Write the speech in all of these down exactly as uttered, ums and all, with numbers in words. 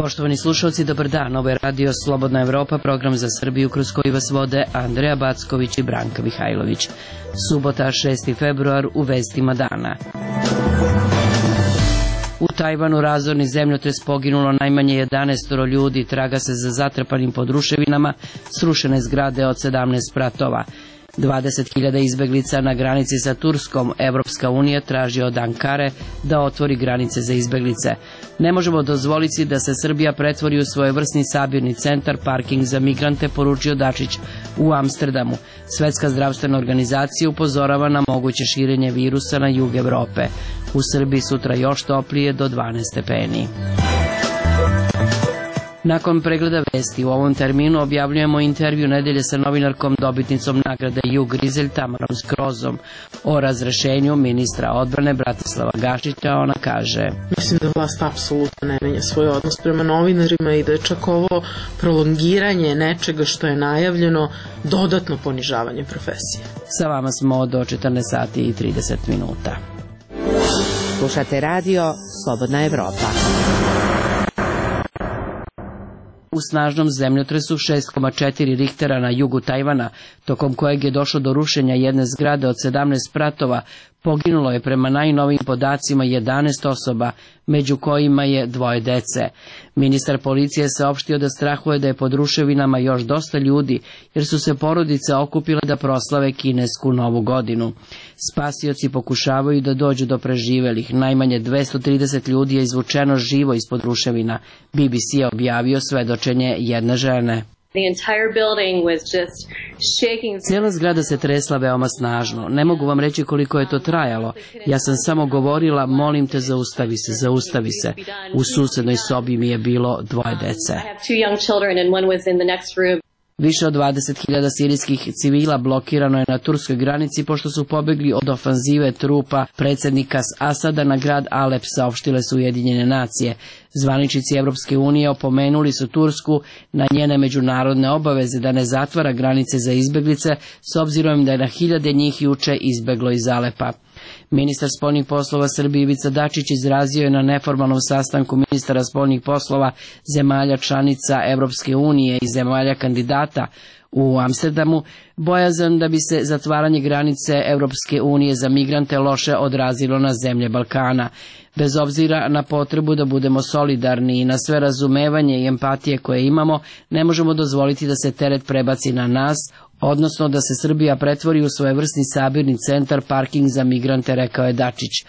Poštovani slušalci, dobar dan. Ovo je Radio Slobodna Evropa, program za Srbiju kroz koji vas vode Andreja Backović i Branka Mihajlović. Subota, šesti februar, u vestima dana. U Tajvanu razorni zemljotres, poginulo najmanje jedanaest ljudi, traga se za zatrpanim pod ruševinama, srušene zgrade od sedamnaest spratova. dvadeset hiljada izbeglica na granici sa Turskom. Evropska unija traži od Ankare da otvori granice za izbeglice. Ne možemo dozvoliti da se Srbija pretvori u svojevrsni sabirni centar, parking za migrante, poručio Dačić u Amsterdamu. Svetska zdravstvena organizacija upozorava na moguće širenje virusa na jug Evrope. U Srbiji sutra još toplije, do dvanaest stepeni. Nakon pregleda vesti u ovom terminu objavljujemo intervju nedelje sa novinarkom, dobitnicom nagrade Jug Rizelj, Tamarom Skrozom, o razrešenju ministra odbrane Bratislava Gašića. Ona kaže: Mislim da vlast apsolutno ne menja svoj odnos prema novinarima i da je čak ovo prolongiranje nečega što je najavljeno dodatno ponižavanje profesije. Sa vama smo do četrnaest sati i trideset minuta. Slušate radio Slobodna Evropa. U snažnom zemljotresu šest zarez četiri Richtera na jugu Tajvana, tokom kojeg je došlo do rušenja jedne zgrade od sedamnaest spratova, poginulo je prema najnovijim podacima jedanaest osoba, među kojima je dvoje dece. Ministar policije saopštio da strahuje da je pod ruševinama još dosta ljudi, jer su se porodice okupile da proslave kinesku novu godinu. Spasioci pokušavaju da dođu do preživelih. Najmanje dvesta trideset ljudi je izvučeno živo ispod ruševina. B B C je objavio svedočenje jedne žene. Cijela zgrada se tresla veoma snažno. Ne mogu vam reći koliko je to trajalo. Ja sam samo govorila: molim te, zaustavi se, zaustavi se. U susednoj sobi mi je bilo dvoje dece. Više od dvadeset hiljada sirijskih civila blokirano je na turskoj granici pošto su pobegli od ofanzive trupa predsjednika Asada na grad Alep, saopštile su Ujedinjene nacije. Zvaničnici Evropske unije opomenuli su Tursku na njene međunarodne obaveze da ne zatvara granice za izbeglice, s obzirom da je na hiljade njih juče izbeglo iz Alepa. Ministar spoljnih poslova Srbije Ivica Dačić izrazio je na neformalnom sastanku ministara spoljnih poslova zemalja članica Evropske unije i zemalja kandidata u Amsterdamu bojazan da bi se zatvaranje granice Evropske unije za migrante loše odrazilo na zemlje Balkana. Bez obzira na potrebu da budemo solidarni i na sve razumevanje i empatije koje imamo, ne možemo dozvoliti da se teret prebaci na nas, odnosno da se Srbija pretvori u svojevrsni sabirni centar, parking za migrante, rekao je Dačić.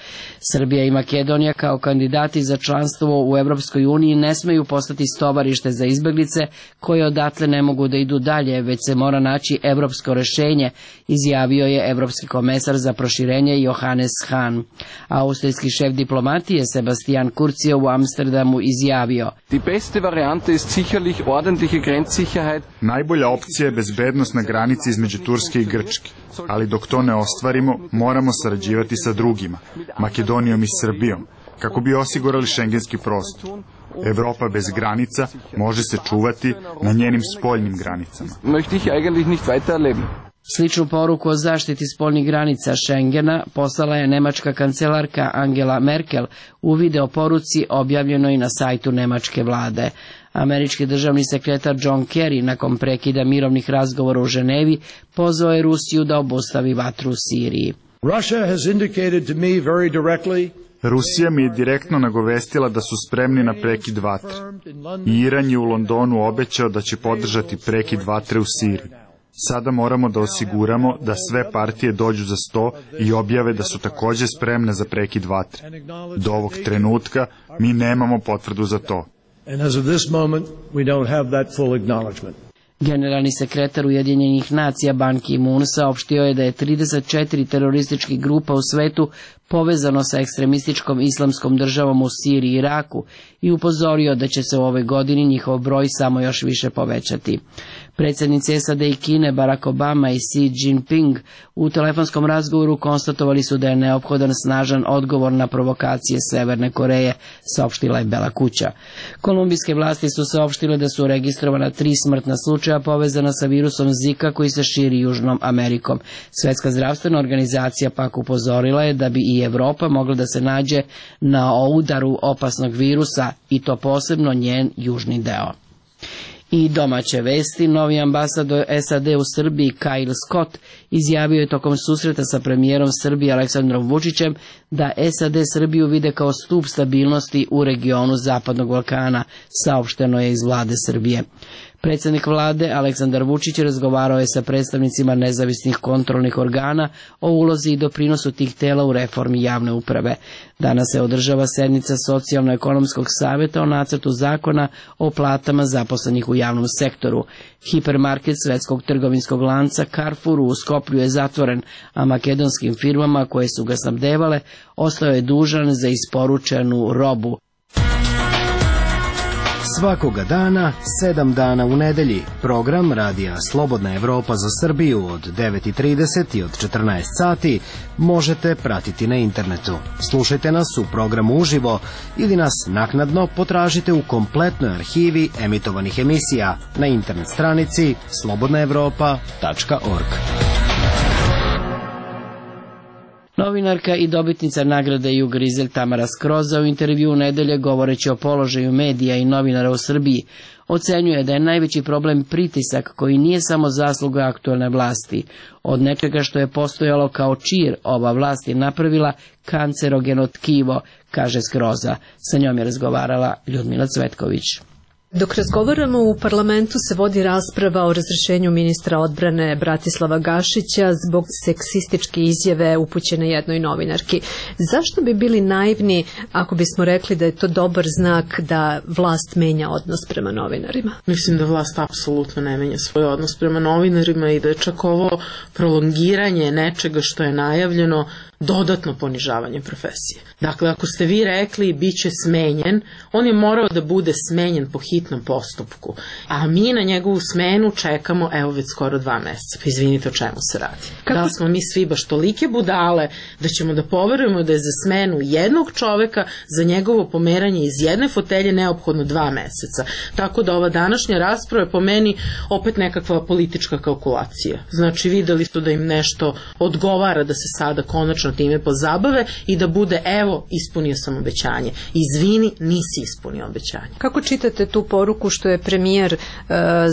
Srbija i Makedonija kao kandidati za članstvo u Evropskoj uniji ne smeju postati stovarište za izbeglice koje odatle ne mogu da idu dalje, već se mora naći evropsko rešenje, izjavio je evropski komesar za proširenje Johannes Hahn. Austrijski šef diplomatije Sebastian Kurz je u Amsterdamu izjavio: Die beste Variante ist sicherlich ordentliche Grenzsicherheit. Najbolja opcija je bezbednost na granici između Turske i Grčke, ali dok to ne ostvarimo, moramo sarađivati sa drugima, Makedonijom i Srbijom, kako bi osigurali šengenski prostor. Evropa bez granica može se čuvati na njenim spoljnim granicama. Möchte ich eigentlich nicht weiter erleben. Sličnu poruku o zaštiti spoljnih granica Schengena poslala je nemačka kancelarka Angela Merkel u video poruci objavljenoj na sajtu nemačke vlade. Američki državni sekretar John Kerry nakon prekida mirovnih razgovora u Ženevi pozvao je Rusiju da obustavi vatru u Siriji. Russia has indicated to me very directly Rusija mi je direktno nagovestila da su spremni na prekid vatre. I Iran je u Londonu obećao da će podržati prekid vatre u Siriji. Sada moramo da osiguramo da sve partije dođu za sto i objave da su također spremne za prekid vatre. Do ovog trenutka mi nemamo potvrdu za to. Generalni sekretar Ujedinjenih nacija Ban Ki-moon saopštio je da je trideset četiri terorističkih grupa u svetu povezano sa ekstremističkom islamskom državom u Siriji i Iraku i upozorio da će se u ovoj godini njihov broj samo još više povećati. Predsjednici S A D i Kine Barack Obama i Xi Jinping u telefonskom razgovoru konstatovali su da je neophodan snažan odgovor na provokacije Severne Koreje, saopštila je Bela kuća. Kolumbijske vlasti su saopštile da su registrovana tri smrtna slučaja povezana sa virusom Zika koji se širi Južnom Amerikom. Svetska zdravstvena organizacija pak upozorila je da bi i Evropa mogla da se nađe na udaru opasnog virusa i to posebno njen južni deo. I domaće vesti, novi ambasador S A D u Srbiji Kyle Scott izjavio je tokom susreta sa premijerom Srbije Aleksandrom Vučićem da S A D Srbiju vide kao stup stabilnosti u regionu Zapadnog Balkana, saopšteno je iz vlade Srbije. Predsjednik vlade Aleksandar Vučić razgovarao je sa predstavnicima nezavisnih kontrolnih organa o ulozi i doprinosu tih tela u reformi javne uprave. Danas se održava sednica Socijalno-ekonomskog savjeta o nacrtu zakona o platama zaposlenih u javnom sektoru. Hipermarket svetskog trgovinskog lanca Carrefour u Skoplju je zatvoren, a makedonskim firmama koje su ga snabdevale ostao je dužan za isporučenu robu. Svakoga dana, sedam dana u nedelji, program radija Slobodna Evropa za Srbiju od devet i trideset i od četrnaest sati možete pratiti na internetu. Slušajte nas u programu uživo ili nas naknadno potražite u kompletnoj arhivi emitovanih emisija na internet stranici slobodna evropa tačka org. Novinarka i dobitnica nagrade Jug Rizel Tamara Skroza u intervju u nedelje govoreći o položaju medija i novinara u Srbiji ocenjuje da je najveći problem pritisak koji nije samo zasluga aktuelne vlasti. Od nečega što je postojalo kao čir ova vlast je napravila kancerogeno tkivo, kaže Skroza. Sa njom je razgovarala Ljudmila Cvetković. Dok razgovaramo u parlamentu se vodi rasprava o razrešenju ministra odbrane Bratislava Gašića zbog seksističke izjave upućene jednoj novinarki. Zašto bi bili naivni ako bismo rekli da je to dobar znak da vlast menja odnos prema novinarima? Mislim da vlast apsolutno ne menja svoj odnos prema novinarima i da je čak ovo prolongiranje nečega što je najavljeno dodatno ponižavanje profesije. Dakle, ako ste vi rekli bit će smenjen, on je morao da bude smenjen po hitnom postupku, a mi na njegovu smenu čekamo evo već skoro dva meseca. Pa izvinite, o čemu se radi? Kako? Da smo mi svi baš tolike budale da ćemo da poverujemo da je za smenu jednog čoveka, za njegovo pomeranje iz jedne fotelje neophodno dva meseca. Tako da ova današnja rasprava je po meni opet nekakva politička kalkulacija. Znači, videli su da im nešto odgovara da se sada konačno time pozabave i da bude evo, ispunio sam obećanje. Izvini, nisi ispunio obećanje. Kako čitate tu poruku što je premijer e,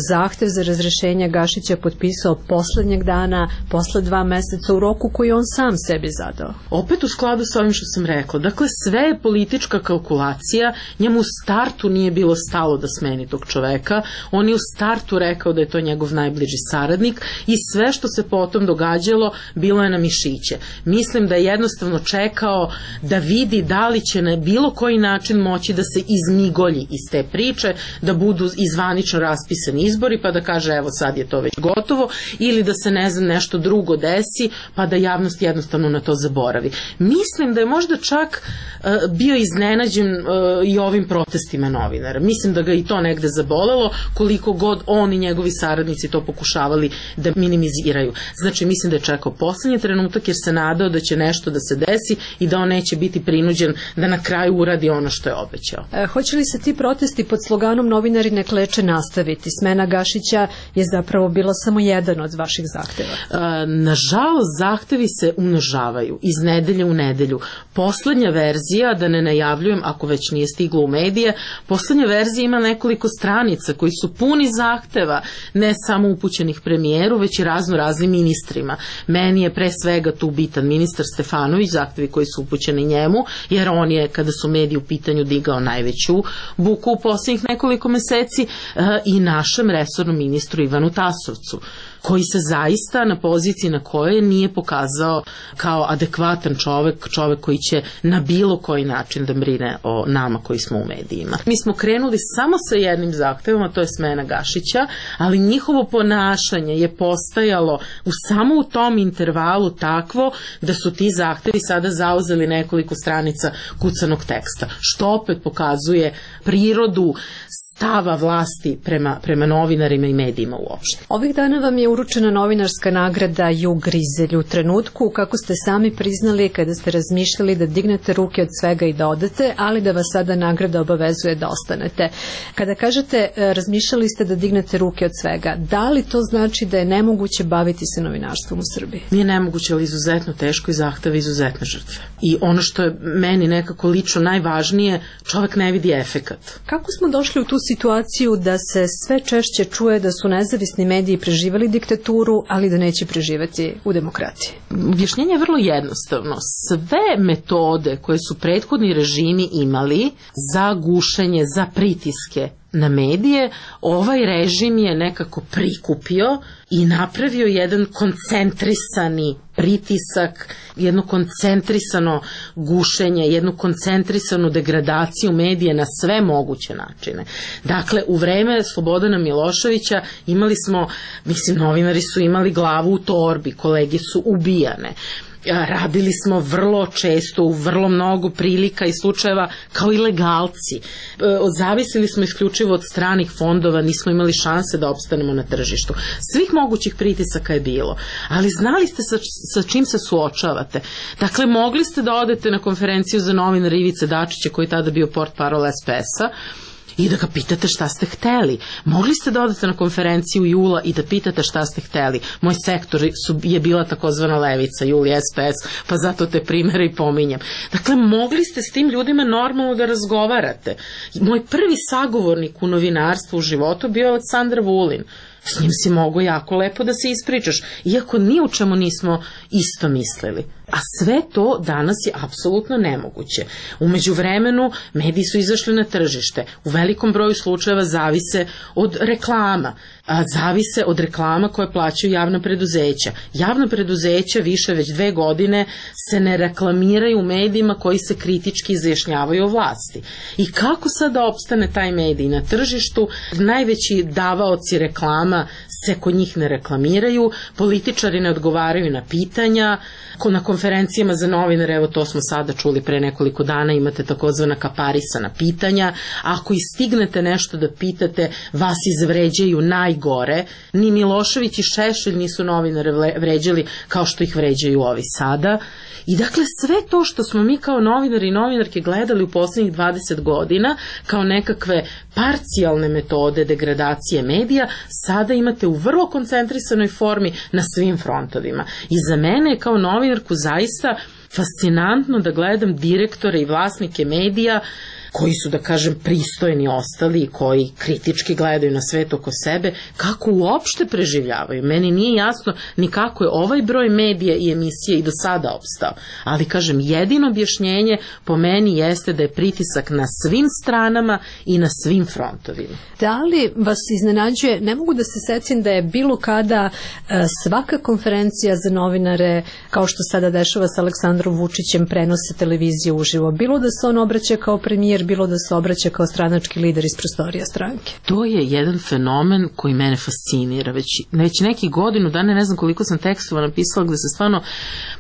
zahtev za razrešenje Gašića potpisao poslednjeg dana, posle dva meseca u roku koji on sam sebi zadao? Opet u skladu sa ovim što sam rekla. Dakle, sve je politička kalkulacija. Njemu u startu nije bilo stalo da smeni tog čoveka. On je u startu rekao da je to njegov najbliži saradnik i sve što se potom događalo bilo je na mišiće. Mislim da je jednostavno čekao da vidi da li će na bilo koji način moći da se izmigolji iz te priče, da budu izvanično raspisani izbori pa da kaže evo sad je to već gotovo, ili da se ne znam nešto drugo desi pa da javnost jednostavno na to zaboravi. Mislim da je možda čak uh, bio iznenađen uh, i ovim protestima novinara. Mislim da ga i to negde zabolelo, koliko god on i njegovi saradnici to pokušavali da minimiziraju. Znači mislim da je čekao poslednji trenutak jer se nadao da će nešto da se desi i da on neće biti prinuđen da na kraju uradi ono što je obećao. E, hoće li se ti protesti pod sloganom novinari ne kleče nastaviti? Smena Gašića je zapravo bila samo jedan od vaših zahteva. E, nažalost, zahtevi se umnožavaju iz nedelje u nedelju. Poslednja verzija, da ne najavljujem ako već nije stiglo u medije, poslednja verzija ima nekoliko stranica koji su puni zahteva, ne samo upućenih premijeru, već i razno raznim ministrima. Meni je pre svega tu bitan ministar Stefanović, zahtevi koji su upućeni njemu, jer on je, kada su mediji u pitanju, digao najveću buku u posljednjih nekoliko meseci, i našem resornom ministru Ivanu Tasovcu, koji se zaista na poziciji na kojoj nije pokazao kao adekvatan čovek, čovek koji će na bilo koji način da brine o nama koji smo u medijima. Mi smo krenuli samo sa jednim zahtevom, a to je smena Gašića, ali njihovo ponašanje je postajalo u samo u tom intervalu takvo da su ti zahtevi sada zauzeli nekoliko stranica kucanog teksta, što opet pokazuje prirodu stava vlasti prema, prema novinarima i medijima uopšte. Ovih dana vam je uručena novinarska nagrada Ju Grizelj u trenutku kako ste sami priznali kada ste razmišljali da dignete ruke od svega i da odete, ali da vas sada nagrada obavezuje da ostanete. Kada kažete razmišljali ste da dignete ruke od svega, da li to znači da je nemoguće baviti se novinarstvom u Srbiji? Nije nemoguće, ali izuzetno teško i zahteva izuzetne žrtve. I ono što je meni nekako lično najvažnije, čovek ne vidi efekat. Kako smo došli u tu situaciju da se sve češće čuje da su nezavisni mediji preživali diktaturu, ali da neće preživati u demokratiji? Objašnjenje je vrlo jednostavno. Sve metode koje su prethodni režimi imali za gušenje, za pritiske na medije, ovaj režim je nekako prikupio i napravio jedan koncentrisani pritisak, jedno koncentrisano gušenje, jednu koncentrisanu degradaciju medije na sve moguće načine. Dakle, u vreme Slobodana Miloševića imali smo, mislim, novinari su imali glavu u torbi, kolege su ubijane. Radili smo vrlo često u vrlo mnogo prilika i slučajeva kao ilegalci. Zavisili smo isključivo od stranih fondova, nismo imali šanse da opstanemo na tržištu. Svih mogućih pritisaka je bilo, ali znali ste sa, sa čim se suočavate. Dakle, mogli ste da odete na konferenciju za novinara Ivice Dačića, koji je tada bio portparol es pe es-a, i da ga pitate šta ste hteli. Mogli ste da odete na konferenciju Jula i da pitate šta ste hteli. Moj sektor su, je bila takozvana levica, Jul i es pe es, pa zato te primere i pominjem. Dakle, mogli ste s tim ljudima normalno da razgovarate. Moj prvi sagovornik u novinarstvu u životu bio Aleksandar Vulin. S njim si mogo jako lepo da se ispričaš, iako ni u čemu nismo isto mislili. A sve to danas je apsolutno nemoguće. U međuvremenu mediji su izašli na tržište. U velikom broju slučajeva zavise od reklama. A zavise od reklama koje plaćaju javna preduzeća. Javna preduzeća više već dve godine se ne reklamiraju u medijima koji se kritički izjašnjavaju o vlasti. I kako sad da opstane taj medij na tržištu? Najveći davaoci reklama se kod njih ne reklamiraju, političari ne odgovaraju na pitanja, na konferencijama za novinare, evo to smo sada čuli pre nekoliko dana, imate takozvana kaparisana pitanja, ako i stignete nešto da pitate, vas izvređaju najgore, ni Milošević i Šešelj nisu novinare vređali kao što ih vređaju ovi sada. I dakle, sve to što smo mi kao novinari i novinarke gledali u poslednjih dvadeset godina kao nekakve parcijalne metode degradacije medija, sada imate u vrlo koncentrisanoj formi na svim frontovima. I za mene je kao novinarku zaista fascinantno da gledam direktore i vlasnike medija koji su, da kažem, pristojni ostali i koji kritički gledaju na svet oko sebe, kako uopšte preživljavaju. Meni nije jasno ni kako je ovaj broj medija i emisije i do sada opstao. Ali, kažem, jedino objašnjenje po meni jeste da je pritisak na svim stranama i na svim frontovima. Da li vas iznenađuje, ne mogu da se setim da je bilo kada e, svaka konferencija za novinare, kao što sada dešava sa Aleksandrom Vučićem, prenose televiziju uživo. Bilo da se on obraća kao premijer, bilo da se obraća kao stranački lider iz prostorija stranke. To je jedan fenomen koji mene fascinira. Već, već neki godinu dana, ne znam koliko sam tekstova napisala gde se stvarno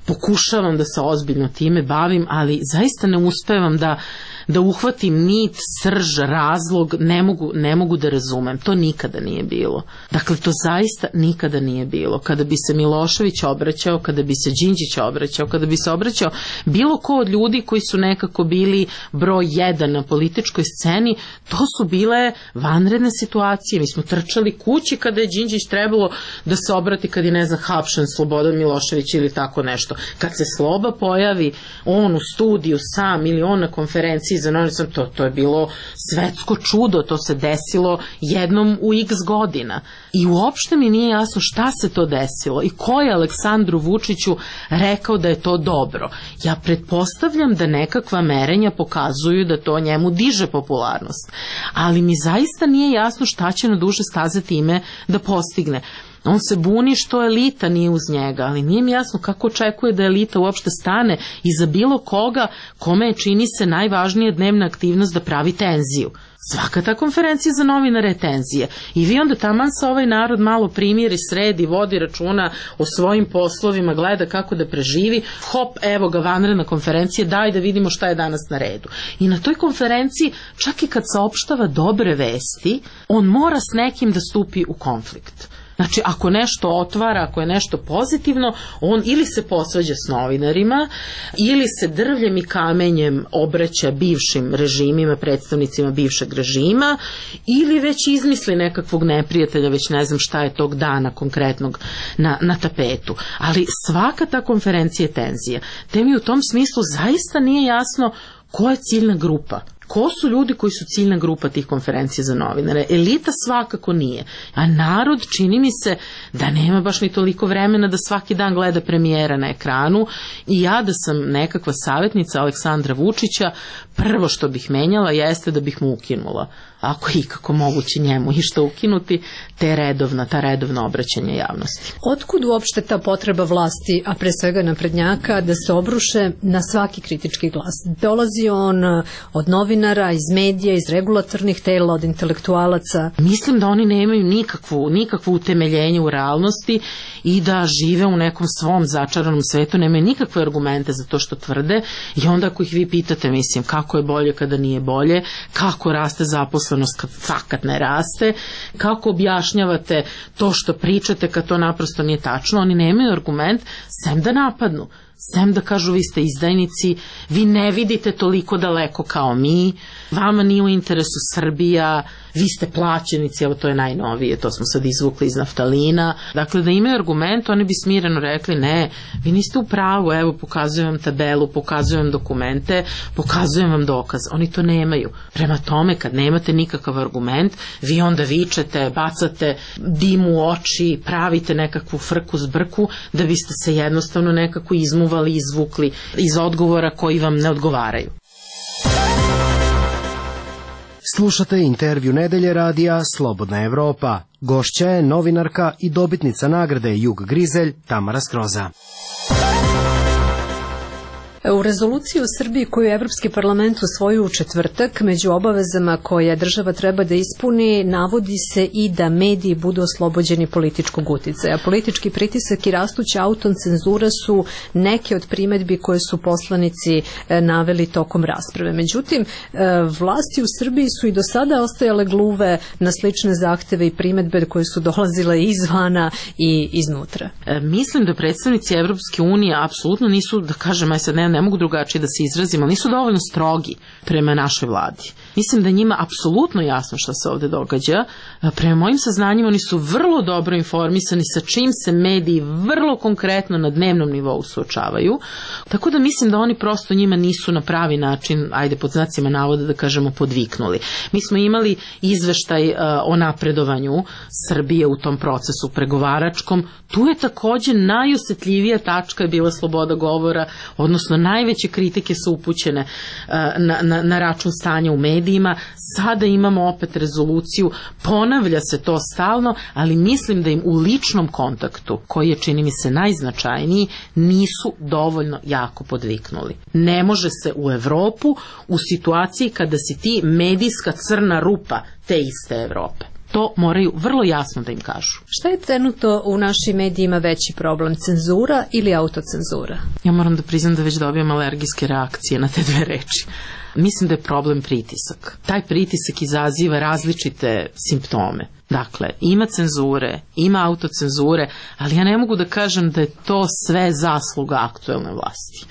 pokušavam da se ozbiljno time bavim, ali zaista ne uspevam da da uhvatim nit, srž, razlog, ne mogu, ne mogu da razumem. To nikada nije bilo. Dakle, to zaista nikada nije bilo. Kada bi se Milošević obraćao, kada bi se Đinđić obraćao, kada bi se obraćao bilo ko od ljudi koji su nekako bili broj jedan na političkoj sceni, to su bile vanredne situacije. Mi smo trčali kući kada je Đinđić trebalo da se obrati kad je, ne znam, hapšen Slobodan Milošević ili tako nešto. Kad se Sloba pojavi, on u studiju sam ili on na konferenciji za novinarstvo, to, to je bilo svetsko čudo, to se desilo jednom u x godina. I uopšte mi nije jasno šta se to desilo i ko je Aleksandru Vučiću rekao da je to dobro. Ja pretpostavljam da nekakva merenja pokazuju da to njemu diže popularnost, ali mi zaista nije jasno šta će na duže staze time da postigne. On se buni što elita nije uz njega, ali nije mi jasno kako očekuje da elita uopšte stane iza bilo koga kome je, čini se, najvažnija dnevna aktivnost da pravi tenziju. Svaka ta konferencija za novinare je tenzija. I vi onda taman sa ovaj narod malo primiri, sredi, vodi računa o svojim poslovima, gleda kako da preživi, hop, evo ga vanredna konferencija, daj da vidimo šta je danas na redu. I na toj konferenciji, čak i kad saopštava dobre vesti, on mora s nekim da stupi u konflikt. Znači, ako nešto otvara, ako je nešto pozitivno, on ili se posvađa s novinarima, ili se drvljem i kamenjem obraća bivšim režimima, predstavnicima bivšeg režima, ili već izmisli nekakvog neprijatelja, već ne znam šta je tog dana konkretnog na, na tapetu. Ali svaka ta konferencija je tenzija. Te mi u tom smislu zaista nije jasno ko je ciljna grupa. Ko su ljudi koji su ciljna grupa tih konferencija za novinare? Elita svakako nije. A narod, čini mi se da nema baš ni toliko vremena da svaki dan gleda premijera na ekranu. I ja da sam nekakva savjetnica Aleksandra Vučića, prvo što bih menjala jeste da bih mu ukinula, ako je ikako moguće njemu i što ukinuti, te redovna, ta redovna obraćanja javnosti. Otkud uopšte ta potreba vlasti, a pre svega naprednjaka, da se obruše na svaki kritički glas? Dolazi on od novinara, iz medija, iz regulatornih tela, od intelektualaca? Mislim da oni nemaju nikakvu, nikakvu utemeljenje u realnosti i da žive u nekom svom začaranom svetu, nemaju nikakve argumente za to što tvrde i onda ako ih vi pitate, mislim, kako je bolje kada nije bolje, kako raste zaposlenost kad fakat ne raste, kako objašnjavate to što pričate kad to naprosto nije tačno, oni nemaju argument, sem da napadnu. Sem da kažu vi ste izdajnici, vi ne vidite toliko daleko kao mi, vama nije u interesu Srbija, vi ste plaćenici, evo to je najnovije, to smo sad izvukli iz naftalina. Dakle, da imaju argument, oni bi smireno rekli ne, vi niste u pravu, evo pokazujem vam tabelu, pokazujem vam dokumente, pokazujem vam dokaz. Oni to nemaju. Prema tome, kad nemate nikakav argument, vi onda vičete, bacate dim u oči, pravite nekakvu frku zbrku, da biste se jednostavno nekako izmuvali, izvukli iz odgovora koji vam ne odgovaraju. Slušate intervju nedelje radija Slobodna Evropa. Gošća je novinarka i dobitnica nagrade Jug Grizelj Tamara Skroza. U rezoluciji u Srbiji koju je Evropski parlament usvojio u četvrtak, među obavezama koje država treba da ispuni, navodi se i da mediji budu oslobođeni političkog uticaja. Politički pritisak i rastuća autocenzura su neke od primedbi koje su poslanici naveli tokom rasprave. Međutim, vlasti u Srbiji su i do sada ostajale gluve na slične zahteve i primedbe koje su dolazile izvana i iznutra. E, mislim da predstavnici Evropske unije apsolutno nisu, da kažem, aj sad ne ne mogu drugačije da se izrazim, ali nisu dovoljno strogi prema našoj vladi. Mislim da njima apsolutno jasno što se ovde događa. Prema mojim saznanjima oni su vrlo dobro informisani sa čim se mediji vrlo konkretno na dnevnom nivou suočavaju. Tako da mislim da oni prosto njima nisu na pravi način, ajde pod znacima navoda da kažemo, podviknuli. Mi smo imali izveštaj uh, o napredovanju Srbije u tom procesu pregovaračkom. Tu je takođe najosetljivija tačka je bila sloboda govora, odnosno najveće kritike su upućene uh, na, na, na račun stanja u medijima. Sada imamo opet rezoluciju, ponavlja se to stalno, ali mislim da im u ličnom kontaktu, koji je čini mi se najznačajniji, nisu dovoljno jako podviknuli. Ne može se u Evropu u situaciji kada si ti medijska crna rupa te iste Evrope. To moraju vrlo jasno da im kažu. Šta je trenutno u našim medijima veći problem, cenzura ili autocenzura? Ja moram da priznam da već dobijam alergijske reakcije na te dve reči. Mislim da je problem pritisak. Taj pritisak izaziva različite simptome. Dakle, ima cenzure, ima autocenzure, ali ja ne mogu da kažem da je to sve zasluga aktuelne vlasti.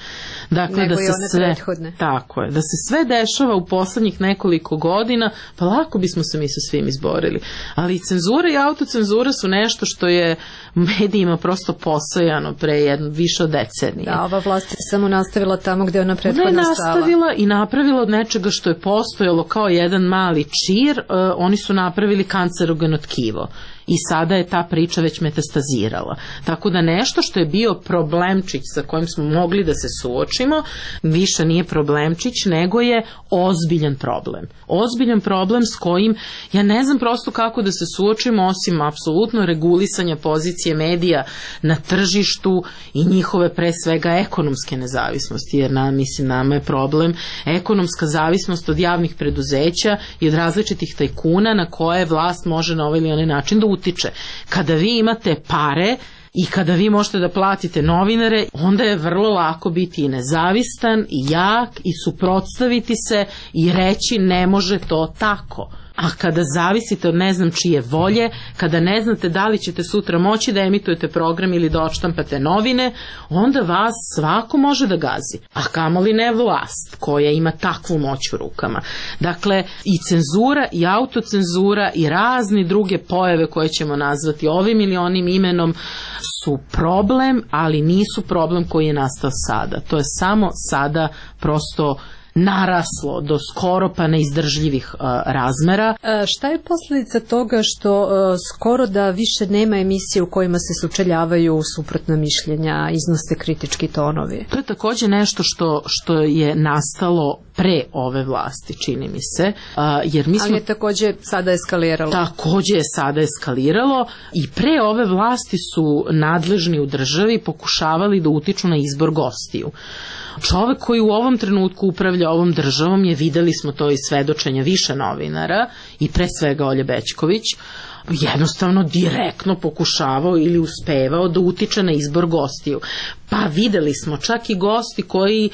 Dakle, nego da se sve, prethodne. Tako je, da se sve dešava u poslednjih nekoliko godina, pa lako bismo se mi sa svim izborili. Ali cenzura i autocenzura su nešto što je medijima prosto postojano pre jedno, više od decenije. Da, ova vlast je samo nastavila tamo gde je ona prethodna stala. Ona je stala. nastavila i napravila od nečega što je postojalo kao jedan mali čir, uh, oni su napravili kancerogeno tkivo. i sada je ta priča već metastazirala. Tako da nešto što je bio problemčić sa kojim smo mogli da se suočimo, više nije problemčić, nego je ozbiljan problem. Ozbiljan problem s kojim ja ne znam prosto kako da se suočimo osim apsolutno regulisanja pozicije medija na tržištu i njihove pre svega ekonomske nezavisnosti, jer nam, mislim, nama je problem ekonomska zavisnost od javnih preduzeća i od različitih tajkuna na koje vlast može na ovaj ili onaj način da utiče. Kada vi imate pare i kada vi možete da platite novinare, onda je vrlo lako biti i nezavistan i jak i suprotstaviti se i reći ne može to tako. A kada zavisite od ne znam čije volje, kada ne znate da li ćete sutra moći da emitujete program ili da odštampate novine, onda vas svako može da gazi. A kamoli ne vlast koja ima takvu moć u rukama. Dakle, i cenzura i autocenzura i razni druge pojave koje ćemo nazvati ovim ili onim imenom su problem, ali nisu problem koji je nastao sada. To je samo sada prosto naraslo do skoro pa neizdržljivih uh, razmera. A šta je posljedica toga što uh, skoro da više nema emisije u kojima se sučeljavaju suprotna mišljenja, iznose kritički tonovi? To je također nešto što, što je nastalo pre ove vlasti, čini mi se. Uh, jer mi smo, ali je također sada eskaliralo. Također je sada eskaliralo i pre ove vlasti su nadležni u državi pokušavali da utiču na izbor gostiju. Čovek koji u ovom trenutku upravlja ovom državom je, videli smo to iz svedočenja više novinara i pre svega Olje Bećković, jednostavno direktno pokušavao ili uspevao da utiče na izbor gostiju. Pa videli smo čak i gosti koji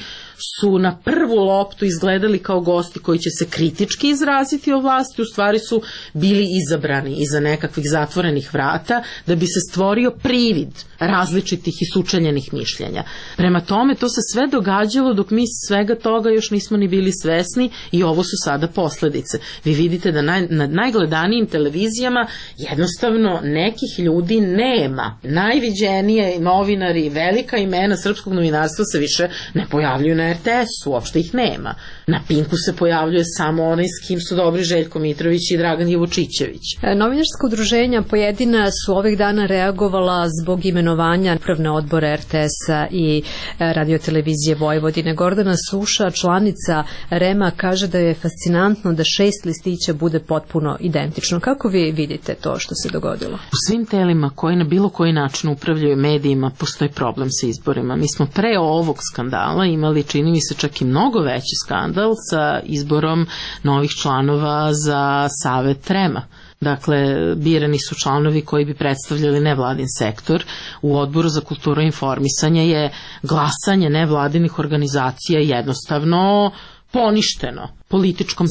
su na prvu loptu izgledali kao gosti koji će se kritički izraziti o vlasti, u stvari su bili izabrani iza nekakvih zatvorenih vrata da bi se stvorio privid različitih i sučeljenih mišljenja. Prema tome, to se sve događalo dok mi svega toga još nismo ni bili svesni i ovo su sada posledice. Vi vidite da naj, na najgledanijim televizijama jednostavno nekih ljudi nema. Najviđenije novinari, velika imena srpskog novinarstva se više ne pojavljuju na er te es-u, uopšte ih nema. Na Pinku se pojavljuje samo onaj s kim su dobri Željko Mitrović i Dragan Jevučićević. E, novinarska udruženja pojedina su ovih dana reagovala zbog imenovanja upravne odbora er te es-a i radiotelevizije Vojvodine. Gordana Suša, članica rema, kaže da je fascinantno da šest listića bude potpuno identično. Kako vi vidite to što se dogodilo? U svim telima koji na bilo koji način upravljaju medijima postoji problem sa izborima. Mi smo pre ovog skandala imali, čini mi se, čak i mnogo veći skandal sa izborom novih članova za Savet rema. Dakle, birani su članovi koji bi predstavljali nevladin sektor. U Odboru za kulturu i informisanje je glasanje nevladinih organizacija jednostavno poništeno političkom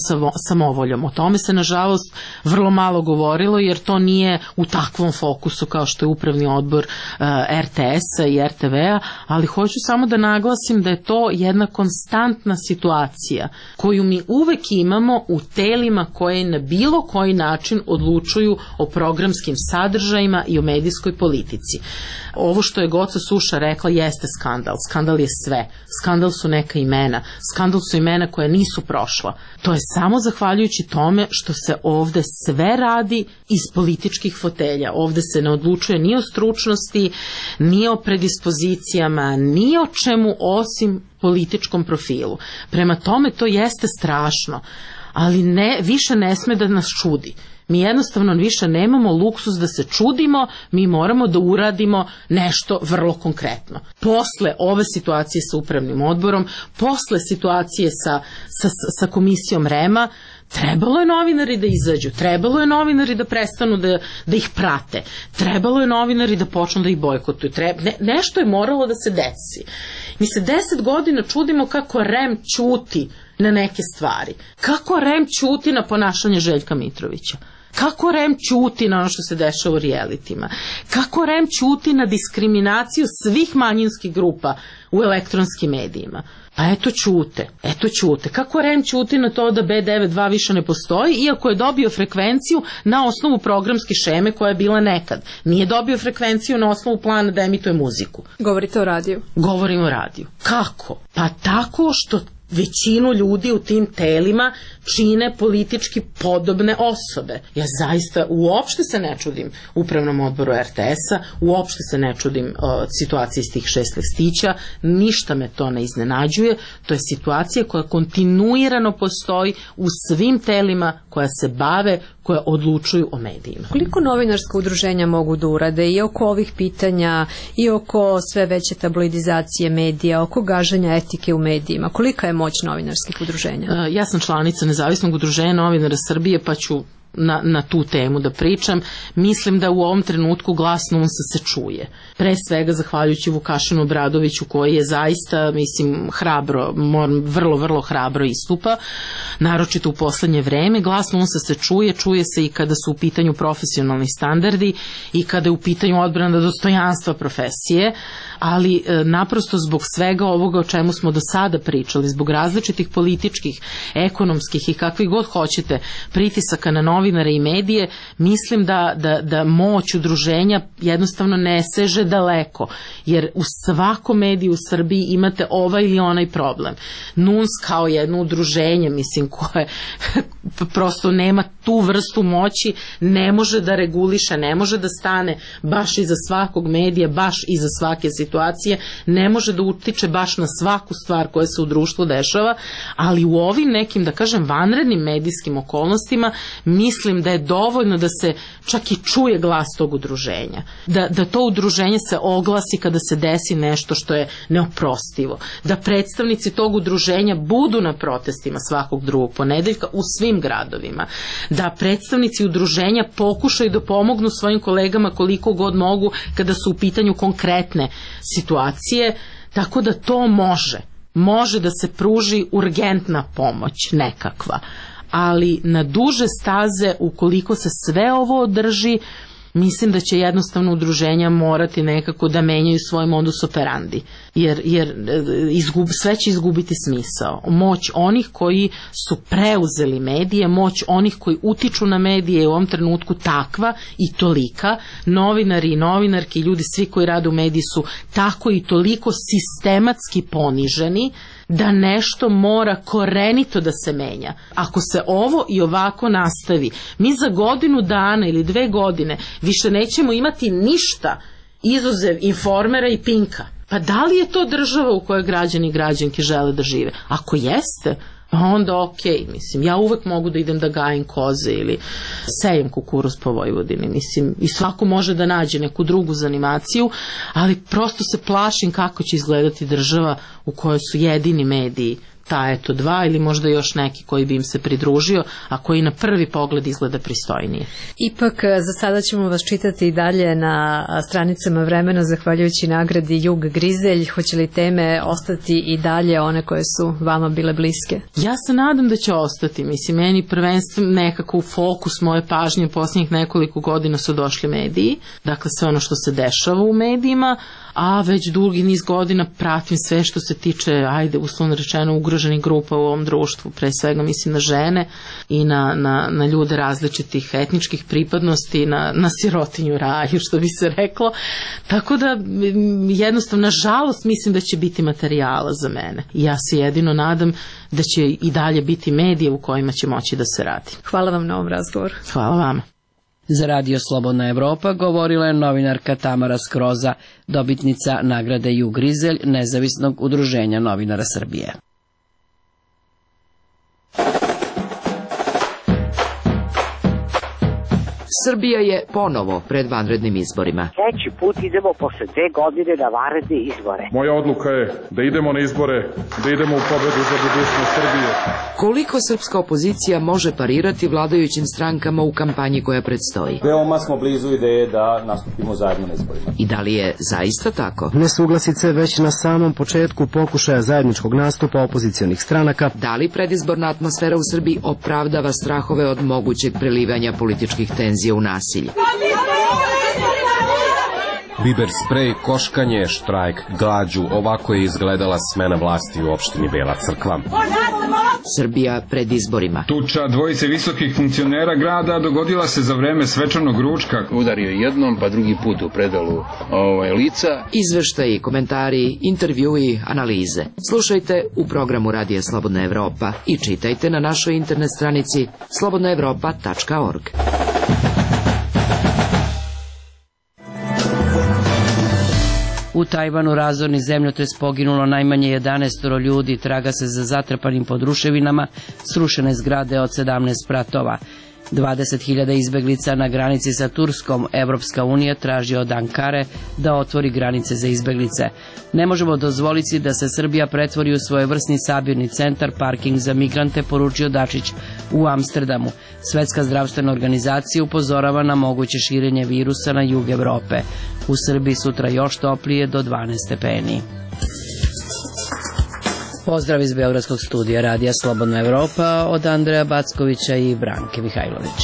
samovoljom. O tome se, nažalost, vrlo malo govorilo, jer to nije u takvom fokusu kao što je upravni odbor er te es-a i er te ve-a, ali hoću samo da naglasim da je to jedna konstantna situacija koju mi uvek imamo u telima koje na bilo koji način odlučuju o programskim sadržajima i o medijskoj politici. Ovo što je Goca Suša rekla jeste skandal. Skandal je sve. Skandal su neka imena. Skandal su imena koja nisu prošla. To je samo zahvaljujući tome što se ovde sve radi iz političkih fotelja. Ovde se ne odlučuje ni o stručnosti, ni o predispozicijama, ni o čemu osim političkom profilu. Prema tome to jeste strašno, ali ne, više ne sme da nas čudi. Mi jednostavno više nemamo luksus da se čudimo, mi moramo da uradimo nešto vrlo konkretno. Posle ove situacije sa upravnim odborom, posle situacije sa, sa, sa komisijom rema, trebalo je novinari da izađu, trebalo je novinari da prestanu da, da ih prate, trebalo je novinari da počnu da ih bojkotuju, Treba, ne, nešto je moralo da se desi. Mi se deset godina čudimo kako rem ćuti na neke stvari, kako rem ćuti na ponašanje Željka Mitrovića. Kako rem ćuti na ono što se dešava u realitima? Kako rem ćuti na diskriminaciju svih manjinskih grupa u elektronskim medijima? Pa eto ćute, eto ćute. Kako rem ćuti na to da be devedeset dva više ne postoji, iako je dobio frekvenciju na osnovu programske šeme koja je bila nekad. Nije dobio frekvenciju na osnovu plana da emituje muziku. Govorite o radiju? Govorim o radiju. Kako? Pa tako što većinu ljudi u tim telima čine politički podobne osobe. Ja zaista uopšte se ne čudim upravnom odboru er te es-a, uopšte se ne čudim o, situaciji s tih šest listića, ništa me to ne iznenađuje, to je situacija koja kontinuirano postoji u svim telima koja se bave, koje odlučuju o medijima. Koliko novinarska udruženja mogu da urade i oko ovih pitanja, i oko sve veće tabloidizacije medija, oko gaženja etike u medijima? Kolika je moć novinarskih udruženja? Ja sam članica Nezavisnog udruženja novinara Srbije, pa ću Na, na tu temu da pričam. Mislim da u ovom trenutku glas NUNS-a se čuje. Pre svega zahvaljujući Vukašinu Obradoviću koji je zaista, mislim, hrabro, vrlo, vrlo hrabro istupa, naročito u poslednje vreme. Glas NUNS-a se čuje, čuje se i kada su u pitanju profesionalni standardi i kada je u pitanju odbrana dostojanstva profesije, ali e, naprosto zbog svega ovoga o čemu smo do sada pričali, zbog različitih političkih, ekonomskih i kakvih god hoćete pritisaka na novinare i medije, mislim da, da, da moć udruženja jednostavno ne seže daleko, jer u svakom mediju u Srbiji imate ovaj ili onaj problem. NUNS kao jedno udruženje, mislim, koje prosto nema tu vrstu moći, ne može da reguliše, ne može da stane baš iza svakog medija, baš iza svake situacije, ne može da utiče baš na svaku stvar koja se u društvu dešava, ali u ovim nekim, da kažem, vanrednim medijskim okolnostima mislim da je dovoljno da se čak i čuje glas tog udruženja. Da, da to udruženje se oglasi kada se desi nešto što je neoprostivo. Da predstavnici tog udruženja budu na protestima svakog drugog ponedeljka u svim gradovima. Da predstavnici udruženja pokušaju da pomognu svojim kolegama koliko god mogu kada su u pitanju konkretne situacije, tako da to može. Može da se pruži urgentna pomoć nekakva. Ali na duže staze, ukoliko se sve ovo održi, mislim da će jednostavno udruženja morati nekako da menjaju svoj modus operandi, jer, jer izgub, sve će izgubiti smisao. Moć onih koji su preuzeli medije, moć onih koji utiču na medije je u ovom trenutku takva i tolika. Novinari i novinarki, ljudi svi koji rade u mediji su tako i toliko sistematski poniženi da nešto mora korenito da se menja. Ako se ovo i ovako nastavi, mi za godinu dana ili dve godine više nećemo imati ništa izuzev Informera i Pinka. Pa da li je to država u kojoj građani i građanke žele da žive? Ako jeste, onda okej, okay, mislim, ja uvek mogu da idem da gajim koze ili sejem kukuruz po Vojvodini, mislim, i svako može da nađe neku drugu zanimaciju, ali prosto se plašim kako će izgledati država u kojoj su jedini mediji ta eto dva ili možda još neki koji bi im se pridružio, a koji na prvi pogled izgleda pristojnije. Ipak za sada ćemo vas čitati i dalje na stranicama Vremena zahvaljujući nagradi Jug Grizelj. Hoće li teme ostati i dalje one koje su vama bile bliske? Ja se nadam da će ostati. Mislim, meni prvenstveno nekako u fokus moje pažnje u posljednjih nekoliko godina su došli mediji, dakle sve ono što se dešava u medijima, a već dugi niz godina pratim sve što se tiče, ajde, uslovno rečeno, ugroženih grupa u ovom društvu, pre svega mislim na žene i na, na, na ljude različitih etničkih pripadnosti, na, na sirotinju raju, što bi se reklo. Tako da, jednostavno, nažalost, mislim da će biti materijala za mene. I ja se jedino nadam da će i dalje biti medije u kojima će moći da se radi. Hvala vam na ovom razgovoru. Hvala vama. Za Radio Slobodna Evropa govorila je novinarka Tamara Skroza, dobitnica nagrade Jug Grizelj Nezavisnog udruženja novinara Srbije. Srbija je ponovo pred vanrednim izborima. Treći put idemo posle dve godine na vanredne izbore. Moja odluka je da idemo na izbore, da idemo u pobedu za budućnost Srbije. Koliko srpska opozicija može parirati vladajućim strankama u kampanji koja predstoji? Veoma smo blizu ideje da nastupimo zajedno na izborima. I da li je zaista tako? Nesuglasice već na samom početku pokušaja zajedničkog nastupa opozicionih stranaka. Da li predizborna atmosfera u Srbiji opravdava strahove od mogućeg prelivanja političkih tenzija u nasilje? Biber sprej, koškanje, štrajk, glađu, ovako je izgledala smena vlasti u opštini Bela Crkva. Srbija pred izborima. Tuča dvojice visokih funkcionera grada dogodila se za vreme svečanog ručka. Udario jednom, pa drugi put u predalu ovaj, lica. Izveštaji, komentari, intervjui, analize. Slušajte u programu Radija Slobodna Evropa i čitajte na našoj internet stranici slobodna evropa tačka org. U Tajvanu razorni zemljotres poginulo najmanje jedanaest ljudi, traga se za zatrpanim pod ruševinama, srušene zgrade od sedamnaest spratova. dvadeset hiljada izbeglica na granici sa Turskom. Evropska unija traži od Ankare da otvori granice za izbeglice. Ne možemo dozvoliti da se Srbija pretvori u svojevrsni sabirni centar, parking za migrante, poručio Dačić u Amsterdamu. Svetska zdravstvena organizacija upozorava na moguće širenje virusa na jug Evrope. U Srbiji sutra još toplije do dvanaest stepeni. Pozdrav iz Beogradskog studija Radija Slobodna Evropa od Andreja Backovića i Branke Mihajlović.